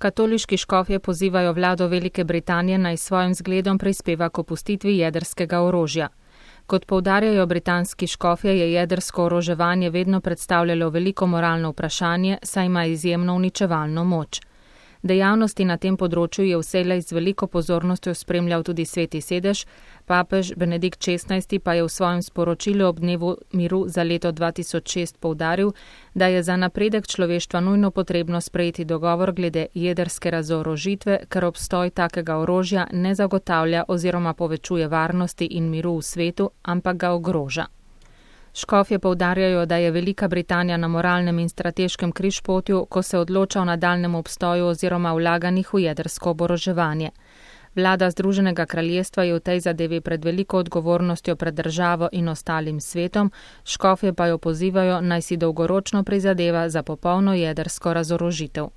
Katoliški škofje pozivajo vlado Velike Britanije naj svojim zgledom prispeva k opustitvi jedrskega orožja. Kot poudarjajo britanski škofje, je jedrsko oroževanje vedno predstavljalo veliko moralno vprašanje, saj ima izjemno uničevalno moč. Dejavnosti na tem področju je vselej z veliko pozornostjo spremljal tudi Sveti sedež, papež Benedikt XVI pa je v svojem sporočilu ob dnevu miru za leto 2006 poudaril, da je za napredek človeštva nujno potrebno sprejeti dogovor glede jedrske razorožitve, ker obstoj takega orožja ne zagotavlja oziroma povečuje varnosti in miru v svetu, ampak ga ogroža. Škofje poudarjajo, da je Velika Britanija na moralnem in strateškem križpotju, ko se odloča o nadaljnjem obstoju oziroma vlaganjih v jedrsko oboroževanje. Vlada Združenega kraljestva je v tej zadevi pred veliko odgovornostjo pred državo in ostalim svetom, škofje pa jo pozivajo, naj si dolgoročno prizadeva za popolno jedrsko razorožitev.